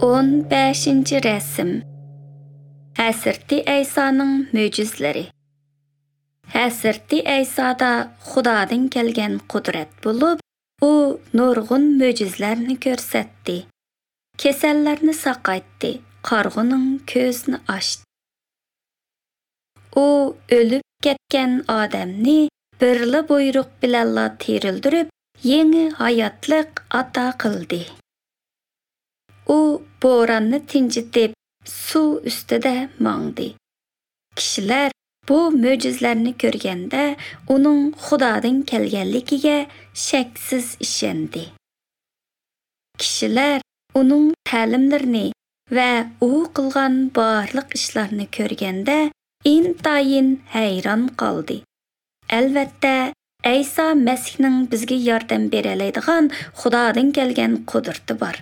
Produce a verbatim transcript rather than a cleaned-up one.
O'n beshinchi rasm. Hazrati Aysoning mo'jizalari. Hazrati Aysoda Xudodan kelgan qudrat bo'lib, u nurg'un mo'jizalarni ko'rsatdi. Kasallarni saqaytdi, qarg'uning ko'zini ochdi. U o'lib ketgan odamni birla buyruq bilanla tirildirib, yangi hayotlik ato qildi. U bo'ronni tinchitib, suv ustida mangdi. Kishilar bu mo'jizalarni ko'rganda uning Xudodan kelganligiga shaksiz ishondi. Kishilar uning ta'limlarini va u qilgan barliq ishlarni ko'rganda intayin hayron qoldi. Albatta, Ayso Masihning bizga yordam bera oladigan Xudodan kelgan qudrati bor.